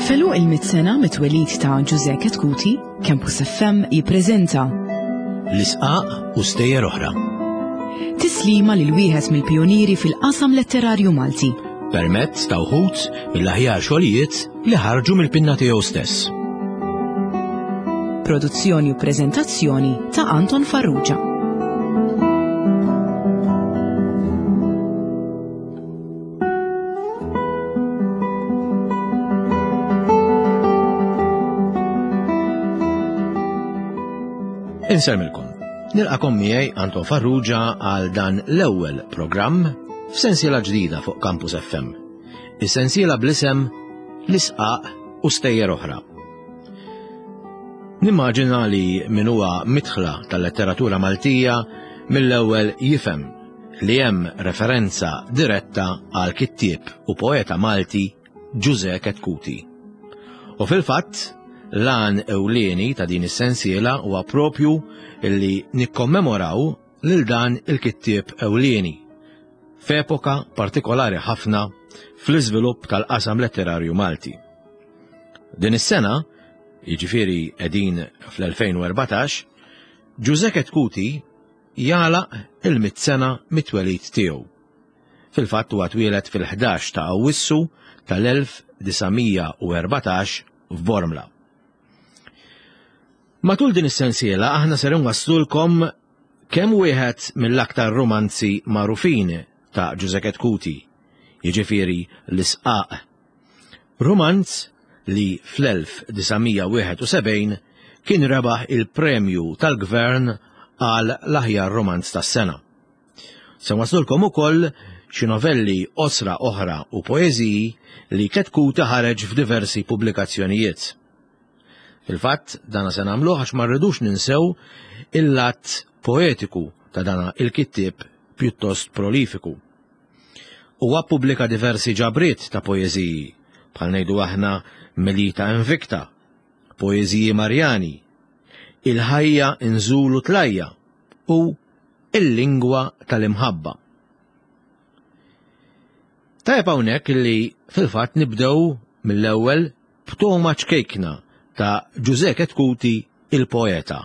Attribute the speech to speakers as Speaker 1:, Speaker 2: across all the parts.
Speaker 1: F'għeluq il-mitt sena mit-twelid ta' Ġużè Chetcuti, Campus FM jippreżenta
Speaker 2: L-Isqaq u Stejjer Oħra.
Speaker 1: Tislima lil wieħed mill-pijunieri fil-qasam letterarju Malti.
Speaker 2: Permezz ta' wħud mill-aħjar xogħlijiet li ħarġu mill-pinna tiegħu stess.
Speaker 1: Produzzjoni u preżentazzjoni ta' Anton Farrugia.
Speaker 2: Insellmilkom. Nilqakom miegħi Anton Farrugia għal dan l-ewwel programm f'sensiela ġdida fuq Campus FM. Is-sensiela bl-isem L-Isqaq u Stejjer Oħra. Nimmaġina li min huwa midħla tal-letteratura Maltija mill-ewwel jifhem li hemm referenza diretta għal kittieb u poeta Malti Ġużè Chetcuti. U fil-fatt, l-għan ewlieni ta' din is-sensiela huwa propju li nikkommemoraw lil dan il-kittieb ewlieni f'epoka partikolari ħafna fl-iżvilupp tal-qasam letterarju Malti. Din is-sena, jiġifieri qegħdin fl-2014, Ġużè Chetcuti jagħlaq il-mitt sena mit-twelid tiegħu. Fil-fatt huwa twieled fil-11 ta' Awwissu tal-1914 f'Bormla. Matul din is-sensiela aħna ser inwasslulkom kemm wieħed mill-aktar rumanzi magħrufin ta' Ġużè Chetcuti, jiġifieri L-Isqaq Rumanz li fl-1971 kien rebaħ il-premju tal-Gvern għal l-aħjar rumanz tas-sena. Se nwaslulkom ukoll xi novelli qosra oħra u poeżiji li Chetcuti ħareġ f'diversi pubblikazzjonijiet. Fil-fatt, dana se nagħmluh għax ma rridux ninsew il-lat poetiku ta' dana il-kittieb pjuttost prolifiku. Huwa ppubblika diversi ġabriet ta' poeżiji, bħal ngħidu aħna Melita Invicta, Poeżiji Marjani, Il-ħajja inżul u tlajja u Il-lingwa tal-imħabba. Tajjeb hawnhekk li fil-fatt nibdew mill-ewwel b'togħma ċkejkna ta' Ġużè Chetcuti il-poeta.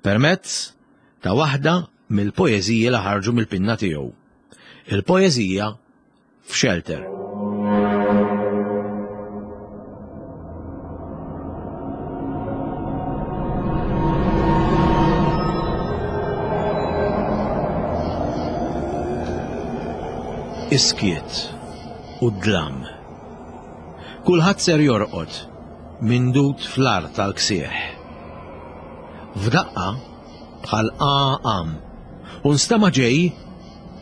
Speaker 2: Permezz ta' waħda mill-poeżiji li ħarġu mill-pinna tiegħu. Il-poeżija F'Shelter. Is-skiet u d-dlam. Kulħadd ser jorqod mindud fl-art tal-ksieħ. F'daqqa bħal qam u nstema' ġej,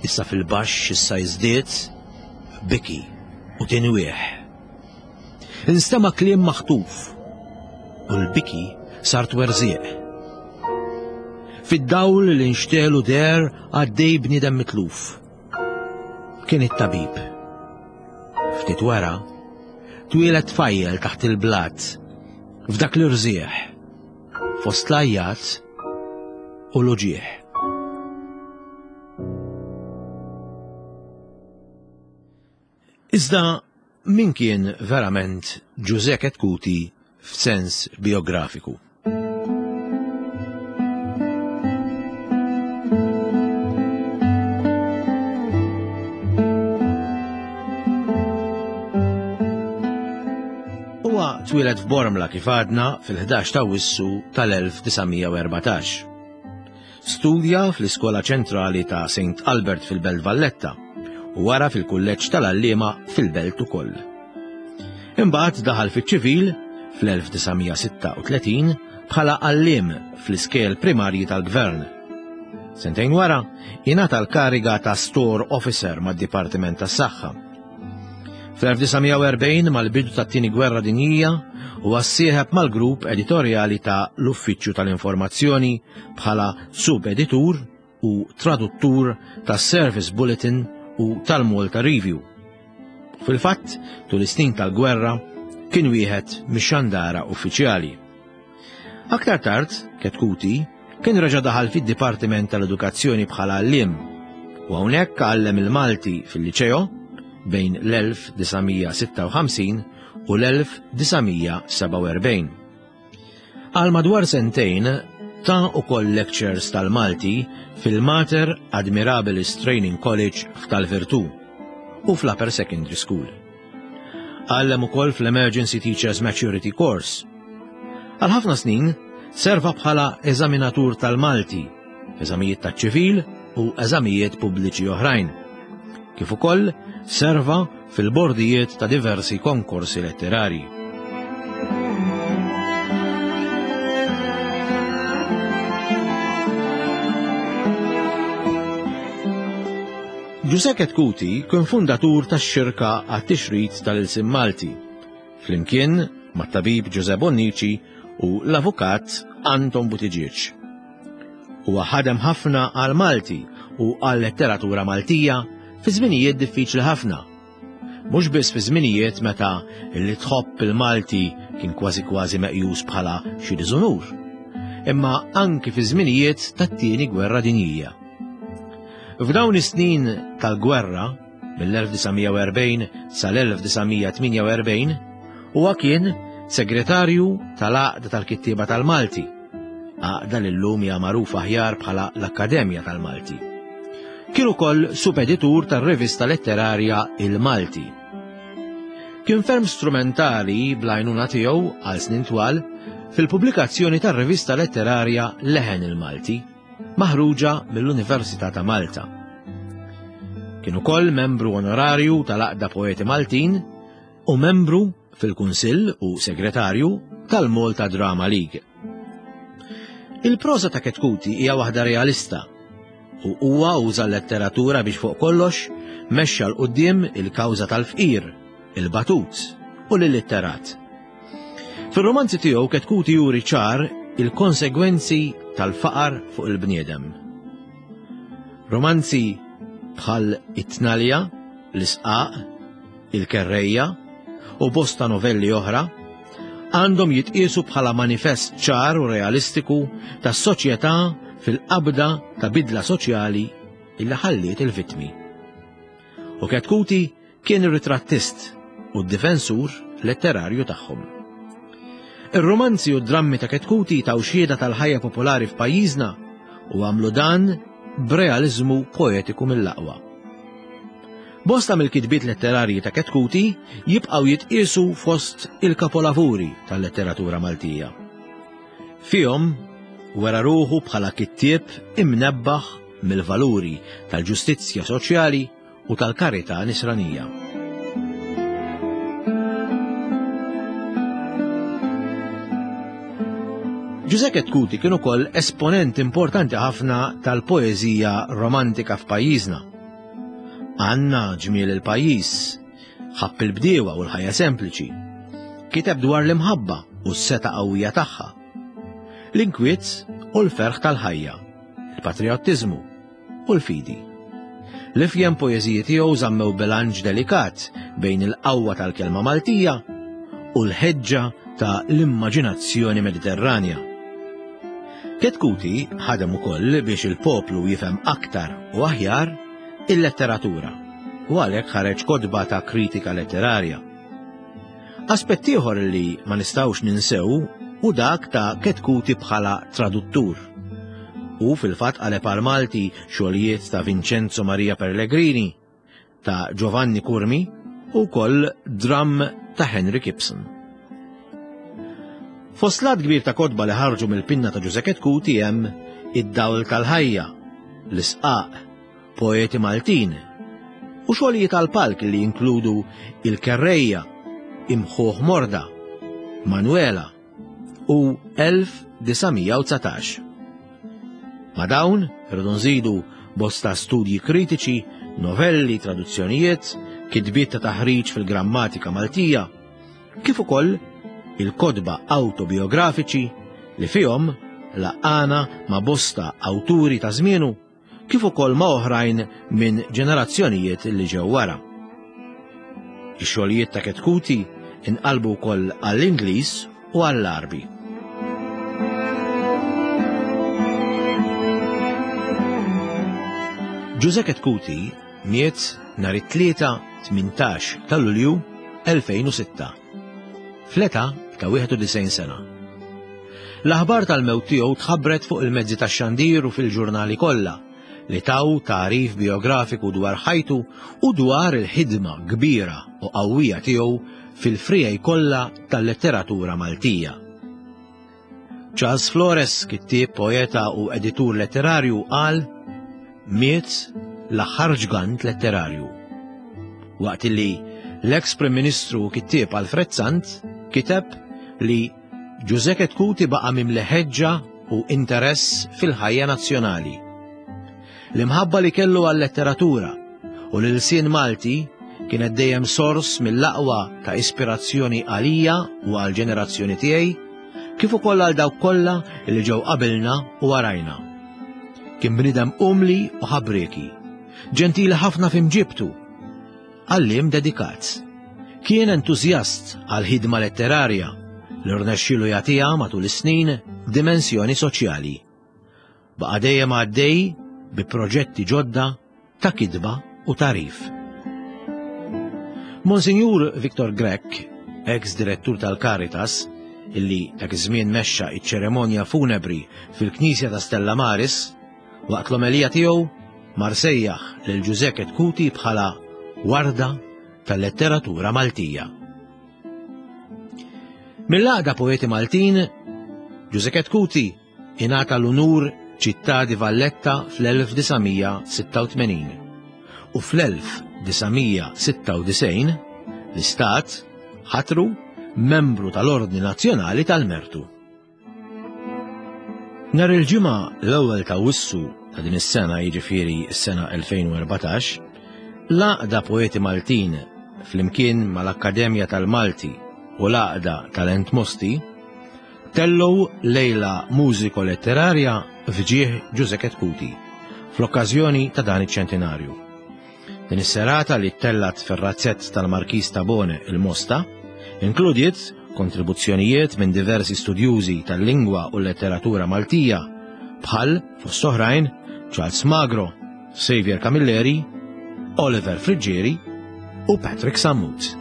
Speaker 2: issa fil-baxx issa jiżdied, biki u tinwieħ. Instema' kliem maħtuf u l-biki sar twerżieq. Fid-dawl li nxtelu deher għaddej bniedem mitluf. Kien it-tabib. Ftit wara, twieled tfajjel taħt il-blat f'dak l-irżieħ fost l-għajjat u l-uġigħ. Iżda min kien verament Ġużè Chetcuti f'sens biografiku? Huwa twieled f'Bormla kif għadna fil-11 ta' Awwissu tal-1914. Studja fl-Iskola Ċentrali ta' St. Albert fil-Belt Valletta u wara fil-Kulleġġ tal-Għalliema fil-Belt ukoll. Imbagħad daħal fiċ-ċivil fl-1936 bħala għalliem fl-iskejjel primarji tal-Gvern. Sentejn wara, ingħata l-kariga ta' Store Officer mad-Dipartiment tas-Saħħa. Fl-1940 mal-bidu tat-Tieni Gwerra Dinjija huwa ssieħeb mal-grupp editorjali ta' l-Uffiċċju tal-Informazzjoni bħala sub-editur u traduttur tas-Service Bulletin u tal-Malta Review. Fil-fatt, tul is-snin tal-gwerra kien wieħed mix-xandara uffiċjali. Aktar tard, Chetcuti kien reġa' daħal fid-Dipartiment tal-Edukazzjoni bħala għalliem u hawnhekk għallem il-Malti fil-Liċeo bejn l-1956 u l-1947. Għal madwar sentejn ta ukoll lectures tal-Malti fil-Mater Admirabilis Training College f'Tal-Virtù u fl-Upper Secondary School. Għallem ukoll fl-Emergency Teachers Maturity Course. Għal ħafna snin serva bħala eżaminatur tal-Malti, eżamijiet taċ-ċivil u eżamijiet pubbliċi oħrajn. Kif ukoll serva fil-bordijiet ta' diversi konkorsi letterari. Ġużè Chetcuti kien fundatur tax-Xirka għat-Tixrid tal-Ilsien Malti, flimkien mat-tabib Ġużè Bonnici u l-avukat Anton Buttigieg. Huwa ħadem ħafna għall-Malti u għal-letteratura Maltija fi żminijiet diffiċli ħafna. Mhux biss fi żminijiet meta li tħobb il-Malti kien kważi kważi meqjus bħala xi diżunur, imma anki fi żminijiet tat-Tieni Gwerra Dinjija. F'dawn is-snin tal-gwerra, mill-1940 sal-1948, huwa kien segretarju tal-Għaqda tal-Kittieba tal-Malti, għaqda li llum hija magħrufa aħjar bħala l-Akkademja tal-Malti. Kien ukoll subeditur tar-rivista letterarja Il-Malti. Kien ferm strumentali bl-għajnuna tiegħu għal snin twal fil-pubblikazzjoni tar-rivista letterarja Leħen il-Malti. maħruġa mill-Università ta' Malta. Kien ukoll membru onorarju tal-Għaqda Poeti Maltin u membru fil-Kunsill u segretarju tal-Malta Drama League. Il-proża ta' Chetcuti hija waħda realista u huwa uża l-letteratura biex fuq kollox mexxa 'l quddiem il-kawża tal-fqir, il-batut u l-illitterat. Fir-romanzi tiegħu Chetcuti juri ċar il-konsegwenzi tal-faqar fuq il-bniedem. Romanzi bħal It-Tnalja, L-Isqaq, Il-Kerrejja u bosta novelli oħra għandhom jitqiesu bħala manifest ċar u realistiku tas-soċjetà fil-qabda ta' bidla soċjali illi ħalliet il-vittmi. U Chetcuti Kien ir-ritrattist u d-difensur letterarju tagħhom. Ir-rumanzi u d-drammi ta' Chetcuti taw xhieda tal-ħajja popolari f'pajjiżna u għamlu dan b'realiżmu poetiku mill-aqwa. Bosta mill-kitbiet letterarji ta' Chetcuti jibqgħu jitqiesu fost il-kapolavuri tal-letteratura Maltija. Fihom wera ruħu bħala kittieb imnebbaħ mill-valuri tal-ġustizzja soċjali u tal-karità nisranija. Ġużè Chetcuti kien ukoll esponent importanti ħafna tal-poeżija romantika f'pajjiżna. Għanna ġmiel il-pajjiż, ħabb il-bdiewa u l-ħajja sempliċi. Kiteb dwar l-imħabba u s-seta qawwija tagħha. L-inkwiet u l-ferħ tal-ħajja, il-patriottiżmu, u l-fidi. L-ifjen poeżiji tiegħu żammew bilanċ delikat bejn il-qawwa tal-kelma Maltija u l-ħeġġa ta' l-immaġinazzjoni Mediterranja. Chetcuti ħadem ukoll biex il-poplu jifhem aktar u aħjar il-letteratura u għalhekk ħareġ kotba ta' kritika letterarja. Aspett ieħor li ma nistgħux ninsew hu dak ta' Chetcuti bħala traduttur. Hu fil-fatt qaleb għall-Malti xogħlijiet ta' Vincenzo Maria Pellegrini, ta' Giovanni Curmi u wkoll dramm ta' Henry Gibson. Fost l-għadd kbir ta' kotba li ħarġu mill-pinna ta' Ġużè Chetcuti hemm Id-Dawl tal-Ħajja, L-Isqaq, poeti Maltin, u xogħlijiet għall-palk li jinkludu Il-Kerrejja, Imħuħ Morda, Manuela u 1919. Ma' dawn irridu nżidu bosta studji kritiċi, novelli, traduzzjonijiet, kitbiet ta' taħriġ fil-grammatika Maltija, kif ukoll il-kotba awtobiografiċi li fihom laqqana ma' bosta awturi ta' żmienu kif ukoll ma' oħrajn minn ġenerazzjonijiet li ġew wara. Ix-xogħlijiet ta' Chetcuti inqalbu wkoll għall-Ingliż u għall-Għarbi. Ġużè Chetcuti miet nhar it-Tlieta 18 ta' Lulju 2006. fl-età ta' 91 sena. L-aħbar tal-mewt tiegħu tħabbret fuq il-mezzi tax-xandir u fil-ġurnali kollha li taw tagħrif biografiku dwar ħajtu u dwar il-ħidma kbira u qawwija tiegħu fil-friegħi kollha tal-letteratura Maltija. Charles Flores, kittieb, poeta u editur letterarju, qal miet l-aħħar ġgant letterarju. Waqt li l-eks Prim Ministru u kittieb Alfred Sant kiteb li Ġużè Chetcuti baqa' mimli ħeġġa u interess fil-ħajja nazzjonali. L-imħabba li kellu għal-letteratura u l-ilsien Malti kienet dejjem sors mill-aqwa ta' ispirazzjoni għalija u għall-ġenerazzjoni tiegħi, kif ukoll għal dawk kollha li ġew qabilna u warajna. Kien bniedem umli u ħabrieki, ġentili ħafna f'imġibtu, għalliem dedikat. Kien entużjast għall-ħidma letterarja li rnexxielu jagħtiha matul is-snin dimensjoni soċjali. Baqa' dejjem għaddej bi proġetti ġodda ta' kitba u tagħrif. Monsinjur Victor Grech, ex direttur tal-Caritas, illi dak iż-żmien mexxa iċ-ċeremonja funebri fil-Knisja ta' Stella Maris, waqt l-omelija tiegħu mar sejjaħ lil Ġużè Chetcuti bħala warda tal-letteratura Maltija. Mill-Għaqda Poeti Maltin, Ġużè Chetcuti ingħata l-unur Città di Valletta fl-1986 u fl-1996 l-Istat ħatru membru tal-Ordni Nazzjonali tal-Mertu. Nhar il-Ġimgħa l-ewwel ta' Awwissu ta' din is-sena jiġifieri s-sena 2014, l-Għaqda Poeti Maltin flimkien mal-Akkademja tal-Malti u l-Għaqda Talent Mosti tellgħu lejla mużiko-letterarja f'ġieħ Ġużè Chetcuti fl-okkażjoni ta' dan iċ-ċentinarju. Din is-serata li ttellgħet fir-razzett tal-Markiż Tabone il-Mosta inkludiet kontribuzzjonijiet minn diversi studjużi tal-lingwa u l-letteratura Maltija bħal, fost oħrajn, Charles Magro, Xavier Camilleri, Oliver Friggieri u Patrick Sammut.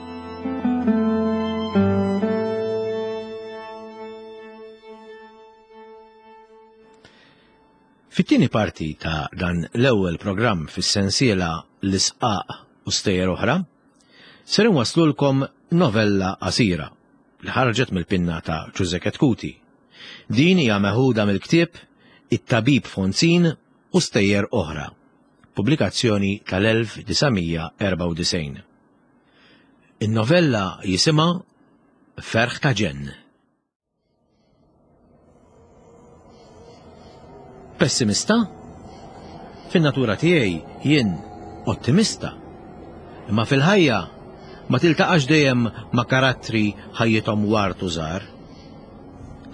Speaker 2: Fit-tieni parti ta' dan l-ewwel programm fis-sensiela L-Isqaq u Stejjer Oħra, ser inwasslulkom novella qasira li ħarġet mill-pinna ta' Ġużè Chetcuti. Din hija meħuda mill-ktieb It-Tabib Fonzin u Stejjer Oħra, pubblikazzjoni tal-1994. In-novella jisimha Ferħ ta' Ġenn. Pessimista? Fin-natura tiegħi jien ottimista. Imma fil-ħajja ma tiltaqax dejjem ma' karattri ħajjithom ward u żgħar.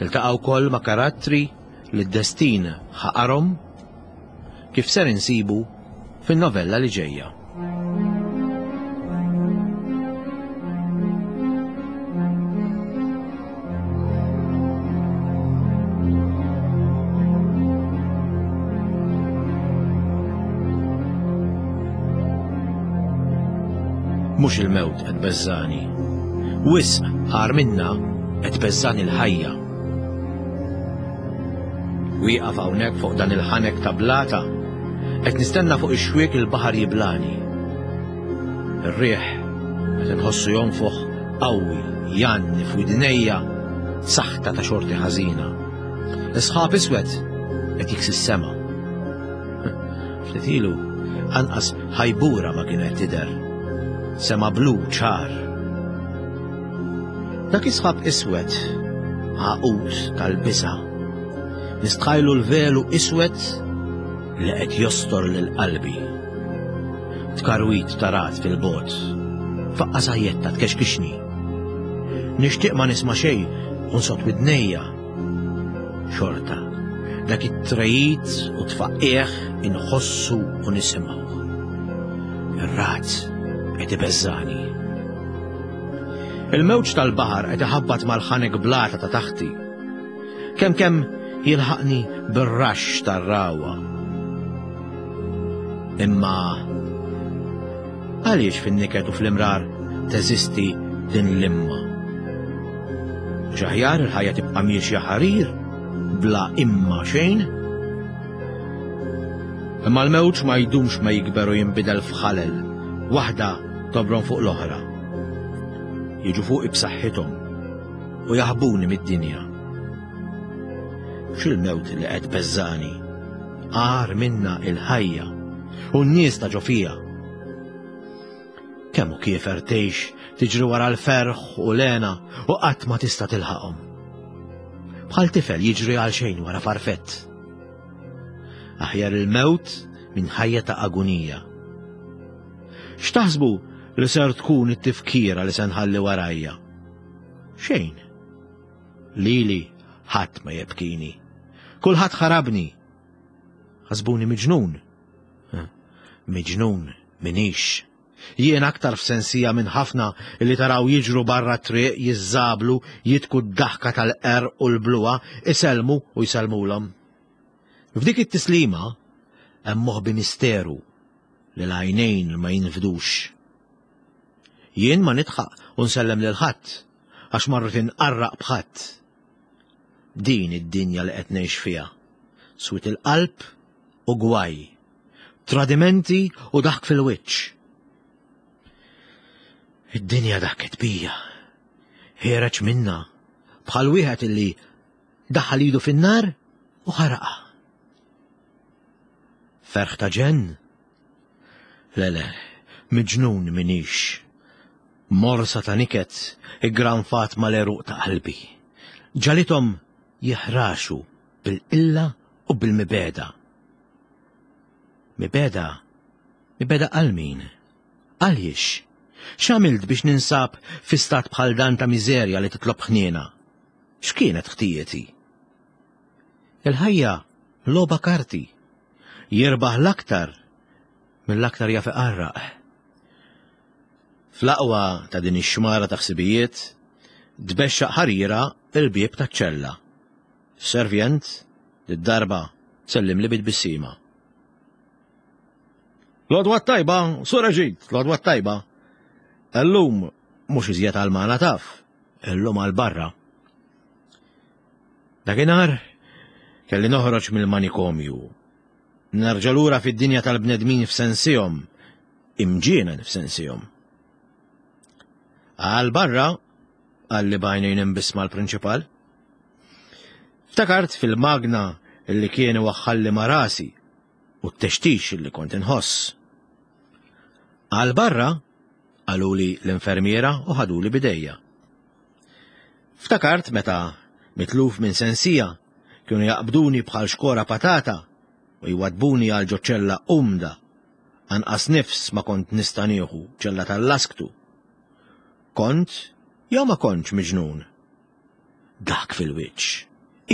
Speaker 2: Tiltaqa' wkoll ma' karattri li d-destin ħaqarhom kif ser insibu fin-novella li ġejja. Mhux il-mewt qed beżżani. Wisq agħar minnha qed tbeżżani l-ħajja. Wieqaf hawnhekk fuq dan il-ħanek ta' blata, qed nistenna fuq ix-xwiek il-baħar jiblani. Ir-riħ qed inħossu jonfoħ qawwi jgħanni f'widnejja saħta ta' xorti ħażina. Is-sħab iswed qed jiksi s-sema. Ftit ilu anqas ħajbura ma kienet tidher. Sema blu ċar. Dak is-sħab iswed għaqud tal-biża'. Nistħajlu l-velu iswed li qed jostor lil qalbi. Tkarwit ta' ragħad fil-bogħod. Faqqa sajjetta tkexkixni. Nixtieq ma nisma' xejn u nsod widnejja. Xorta, dak it-trejit u tfaqqieħ inħossu u nisimgħu. Ir-ragħad qed ibeżżani. Il-mewġ tal-baħar qed iħabbat mal-ħanek blata ta' taħti. Kemm kemm jilħaqni bir-raxx tar-ragħwa. Imma għaliex fin-niket u fl-imrar teżisti din l-imma? Mhux aħjar il-ħajja tibqa' miexja ħarir bla imma xejn? Imma l-mewġ ma jdumx ma jikber u jinbidel f'ħalel, waħda tobron fuq l-oħra. Jiġu fuqi b'saħħithom u jaħbuni mid-dinja. X'il-mewt li qed beżżani, agħar minna il-ħajja u n-nies ta' ġo fija. Kemm hu kiefer tgħix tiġri wara l-ferħ u l-hena u qatt ma tista' tilħaqhom. Bħal tifel jiġri għal xejn wara farfett. Aħjar il-mewt minn ħajja ta' agunija. X'taħsbu li ser tkun it-tifkira li se nħalli warajja? Xejn. Lili ħadd ma jebkini. Kulħadd ħarabni. Ħasbuni miġnun. Miġnun minix. Jien aktar f'sensija minn ħafna li taraw jiġru barra triq jiżżablu, jitku d-daħka tal-qerq u l-bluha, isellmu u jsellmulhom. F'dik it-tislima hemm moħbi misteru li l-għajnejn ma jinfdux. Jien ma nidħaq u nsellem lil ħadd għax ma rrid inqarraq b'ħadd. Din id-dinja li qed ngħix fiha. Swied il-qalb u gwaj. Tradimenti u daħk fil-wiċċ. Id-dinja daħket bija. Ħiereġ minna bħal wieħed illi daħal idu fin-nar u ħaraqa. Ferħ ta' ġenn? Le le, miġnun minix. Morsa ta' niket iggranfat mal-għeruq ta' qalbi. Ġagħlithom jiħraxu bil-qilla u bil-mibegħda. Mibegħda? Mibegħda għal min? Għaliex? X'għamilt biex ninsab fi stat bħal dan ta' miżerja li titlob ħniena? X'kienet ħtijieti? Il-ħajja logħba karti. Jirbaħ l-aktar mill-aktar jaf iqarraq. Fl-aqwa ta' din ix-xmara ta' ħsibijiet, tbexxaq ħarira l-bieb taċ-ċella. Servjent, did-darba, sellimli bi tbissima. L-għodwa t-tajba, Sur Eġid, l-għodwa t-tajba. Illum mhux iżjed għal magħna taf, illum għal barra. Dakinhar kelli noħroġ mill-manikomju. Nerġa' lura fid-dinja tal-bnedmin f'sensihom, imġienen f'sensihom. Għal barra, qalli b'għajnejn imbissma l-prinċipal. Ftakart fil-magna li kien iwaħħalli ma' rasi u t-textix li kont inħoss. Għal barra, qaluli l-infermiera u ħaduli bidejja. Ftakart meta, mitluf minn sensija, kienu jaqbduni bħal xkora patata u jwaddbuni għal ġo ċella umda. Anqas nifs ma kont nista' nieħu, ċella tal-lasktu. Kont jew ma kontx miġnun? Dak fil-wiċċ.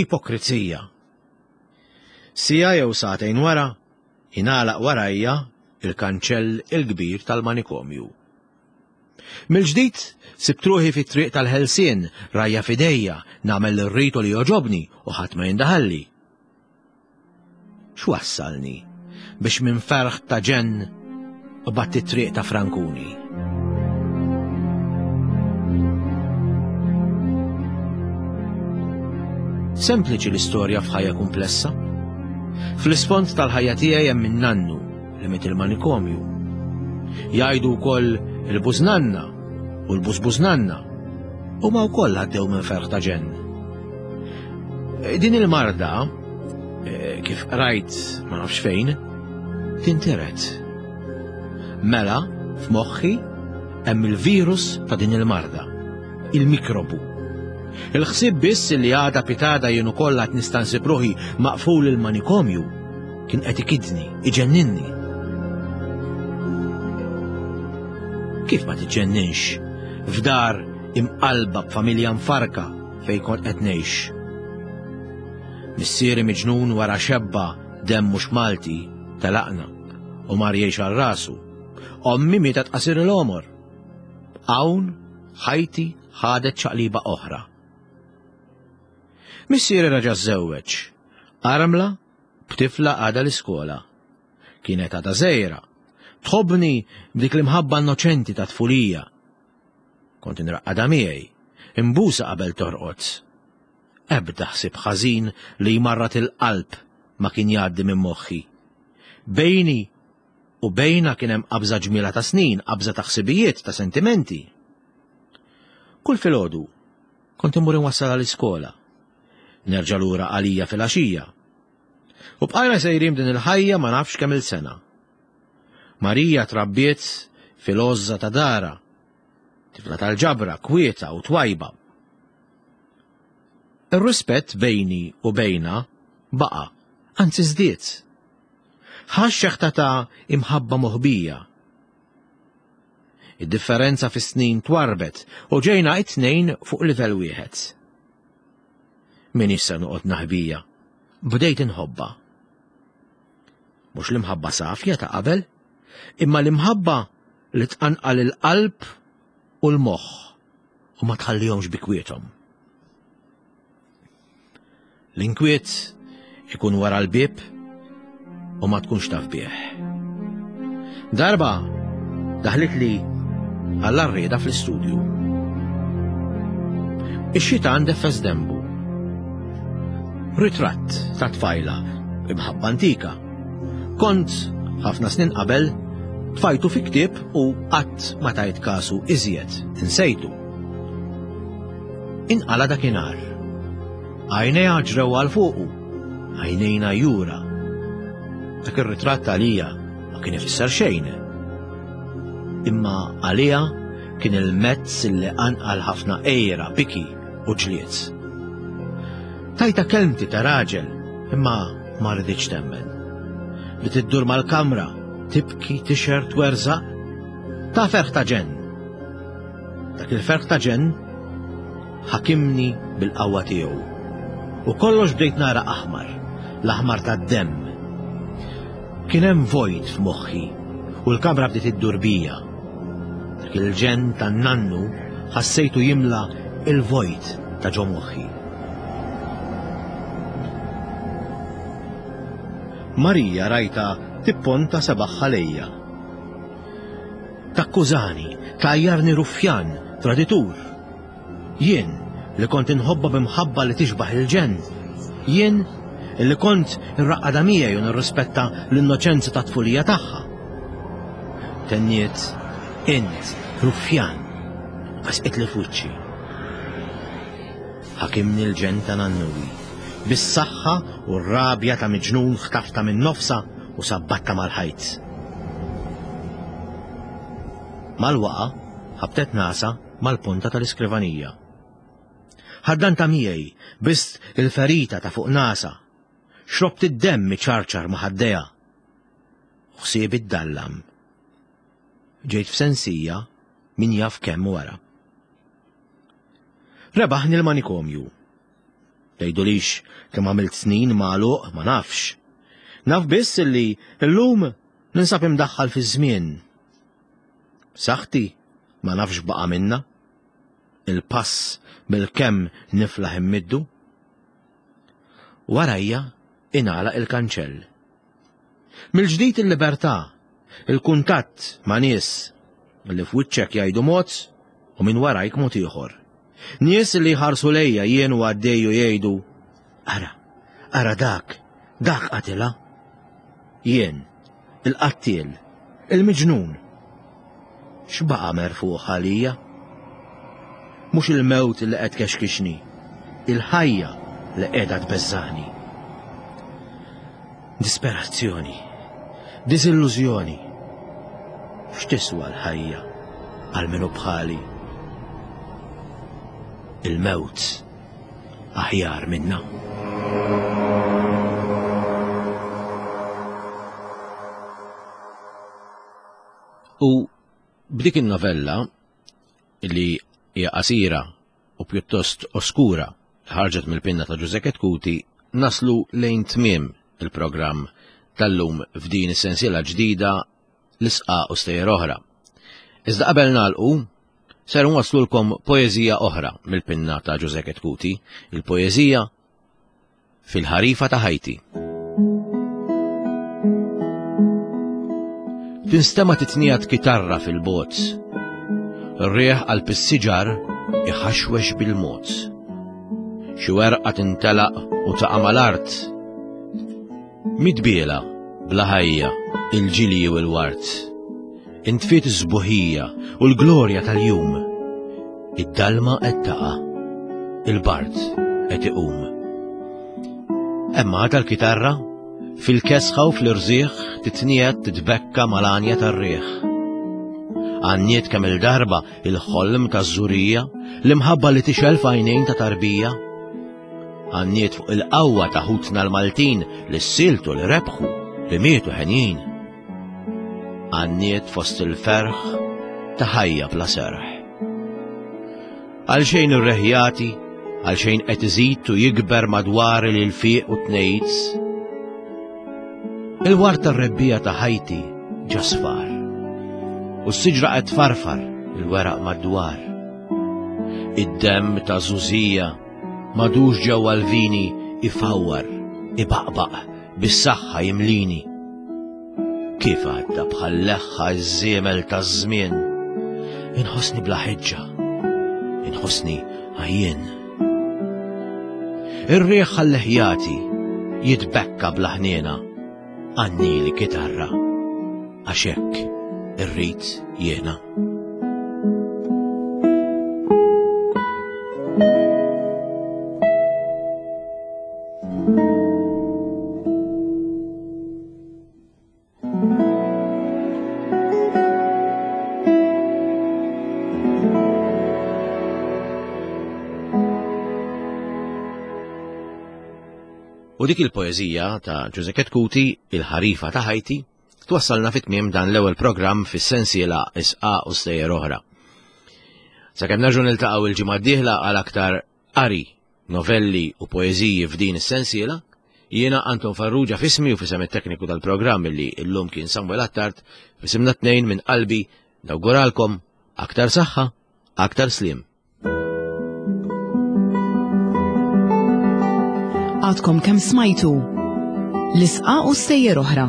Speaker 2: Ipokrizija. Siegħa jew sagħtejn wara, ingħalaq warajja il-kanċell il-kbir tal-manikomju. Mill-ġdid sibt ruħi fit-triq tal-ħelsien, rajja f'idejja, nagħmel li rrid u li jogħġobni u ħadd ma jindaħalli. X'wassalni biex minn ferħ ta' ġenn qbadt it-triq ta' Frankuni? Sempliċi l-istorja f'ħajja kumplessa. Fl-isfond tal-ħajja tiegħi hemm in-nannu li miet il-manikomju. Jgħidu wkoll il-bużnanna u l-bużbużnanna huma wkoll għaddew minn ferħ ta' ġenn. Din il-marda, eh, kif qrajt ma nafx fejn, tintiret. Mela, f'moħħi hemm il-virus ta' din il-marda, il-mikrobu. Il-ħsieb biss li għada pitada jien ukoll għad nista' nsib ruħi maqful il-manikomju kien qed ikidni, iġenninni. Kif ma tiġġenninx f'dar imqalba b'familja mfarka fejn kont qed ngħix. Missieri miġnun wara xebba demm mhux Malti telaqna u mar jgħix għal rasu. Ommi mietet qasir il-għomor. Hawn ħajti ħadet ċaqliba oħra. Missieri raġa' żżewweġ. Armla b'tifla għadha l-iskola. Kienet għadha żgħira. Tħobbni b'dik l-imħabba innoċenti ta' tfulija. Kont inraqqadha miegħi, inbusha qabel torqod. Ebda ħsieb ħażin li jmarrad il-qalb ma kien jgħaddi minn moħħi. Bejni u bejna kien hemm qabża ġmiela ta' snin, qabża ta' ħsibijiet, ta' sentimenti. Kull filgħodu kont immur inwassalha l-iskola. Nerġa' lura għalija filgħaxija. U bqajna sejrin din il-ħajja ma nafx kemm il-sena. Marija trabbiet fil-għożża ta' dara, tifla tal-ġabra, kwieta u twajba. Ir-rispett bejni u bejna baqa', anzi żdied. Ħa x-xeħta ta' imħabba moħbija. Id-differenza fis-snin twarrbet u ġejna it-tnejn fuq livell wieħed. M'iniex se noqgħod naħbija. Bdejt inħobbha. Mhux l-imħabba safja ta' qabel, imma l-imħabba li tqanqal il-qalb u l-moħħ u ma tħallihomx bi kwiethom. L-inkwiet ikun wara l-bieb u ma tkunx taf bih. Darba daħlit li għall-arrieda fl-istudju. Ix-xitan defes dembu. Ritratt ta' tfajla imħabba antika. Kont ħafna snin qabel tfajtu fi ktieb u qatt ma tajt kasu iżjed, insejtu. Inqala dakinhar. Għajnejha ġrew għal fuqu, għajnejna jura. Dak ir-ritratt għalija ma kien ifisser xejn. Imma għalija kien il-mezz li qanqal ħafna għira, biki u ġlied. Tajta kelmti ta' raġel, imma ma riditx temmen. Li tiddur mal-kamra, tibki, tixher, twerżaq, ta' ferħ ta' ġenn. Dak il-ferħ ta' ġenn ħakimni bil-qawwa tiegħu. U kollox bdejt nara aħmar, l-aħmar tad-demm. Kien hemm vojt f'moħħi u l-kamra bdiet iddur bija. Dak il-ġenn tan-nannu ħassejtu jimla il-vojt ta' ġo moħħi. Marija rajta tipponta sebagħha lejja. Takkużani, tgħajjarni ruffjan, traditur. Jien, li kont inħobbha b'imħabba li tixbah il-ġenn. Jien, li kont irraqqadha miegħi u nirrispetta l-innoċenza tat-tfulija tagħha. Tenniet, Int, ruffjan, u besqitli f'wiċċi. Ħakimni l-ġenn ta' nannuwi. Bis-saħħa u r-rabja ta' miġnun ħtaftha minn nofsha u sabbattha mal-ħajt. Mal-waqa' ħabtet nasha mal-ponta tal-iskrivanija. Ħaddantha miegħi, bist il-ferita ta' fuq nasha. Xrobt id-demm iċarċar ma' ħaddejha. Ħsiebi ddallam. Ġejt f'sensija min jaf kemm wara. Rebaħni l-manikomju. Tgħidulix kemm għamilt snin magħluq ma nafx. Naf biss li llum ninsab imdaħħal fiż-żmien. Saħti ma nafx baqa' minna. Il-pass bil-kemm niflaħ immiddu. Warajja ingħalaq il-kanċell. Mill-ġdid il-libertà, il-kuntatt ma' nies li f'wiċċek jgħidu mod u minn warajk mod ieħor. Nies li jħarsu lejja jien u għaddej u jgħidu, ara, ara dak, dak qatilha. Jien, il-qattiel, il-miġnun. X'baqa' merfugħ għalija? Mhux il-mewt li qed tkexkixni, il-ħajja li qiegħda tbeżżagħni. Disperazzjoni, diżillużjoni. X'tiswa l-ħajja għal min hu bħali? Il-mewt aħjar minna.
Speaker 3: U b'dik in-novella li hija qasira u pjuttost oskura li ħarġet mill-pinna ta' Ġużè Chetcuti naslu lejn tmiem il-programm tal-lum f'din is-sensiela ġdida l-isqaq u stejjer oħra. Iżda qabel nagħlqu, ser nwasslulkom poeżija oħra mill-pinna ta' Ġużè Chetcuti, il-poeżija Fil-ħarifa ta' ħajti. Tinstema' titniegħed kitarra fil-bogħod. Ir-riħ qalb is-siġar iħaxwex bil-mod. Xi werqa tintelaq u taqa' mal-art. Midbiela, bla ħajja, il-ġilji u l-ward. Intfiet is-sbuħija u l-glorja tal-jum. Id-dalma qed taqa', il-bard qed iqum. Hemm għadha l-kitarra, fil-kesħa u fl-irżieħ titniegħed titbekka mal-għanja tar-riħ. Għanniet kemm il-darba il-ħolm taż-żurija, l-imħabba li tixgħel f'għajnejn ta' tarbija. Għanniet fuq il-qawwa ta' ħutna l-Maltin li ssiltu li rebħu li mietu ħenjin. Għanniet fost il-ferħ ta' ħajja bla serħ. Għalxejn irreħjati, għalxejn qed iżid u jikber madwar il-fiq u tnejz. Il-ward tar-rebbija ta' ħajti ġa sfar. U s-siġra qed tfarfar il-weraq madwar. Id-demm ta' żużija madux ġewwa l-vini ifawwar, ibaqbaq, bis-saħħa jimlini. Kif għadda bħal leħħa ż-żiemel taż-żmien, inħossni bla ħeġġa, inħossni għajjien. Ir-riħ għall-ħjati jitbekka bla ħniena, għannili kitarra, għax hekk irrid jiena. U dik il-poeżija ta' Ġuże Ketkuti, Il-ħarifa ta' ħajti, twassalna fit-tmiem dan l-ewwel programm fis-sensiela Isqa u Stejjer Oħra. Sakemm nerġgħu niltaqgħu il-ġimgħa d-dieħla għal aktar qari, novelli u poeżiji f'din is-sensiela, jiena Anton Farrugia f'ismi u f'isem it-tekniku tal-programm li llum kien Samuel Attard, f'isimna tnejn minn qalbi nawguralkom aktar saħħa, aktar sliem.
Speaker 1: Għadkom kemm smajtu l-isqa u stejjer oħra.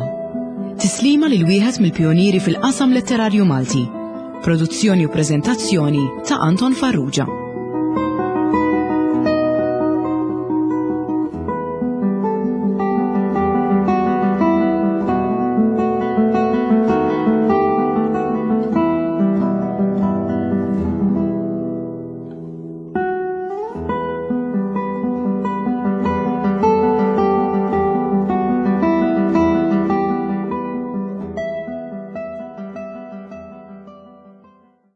Speaker 1: Tislima lil wieħed mill-pjonieri fil-qasam letterarju Malti. Produzzjoni u preżentazzjoni ta' Anton Farrugia.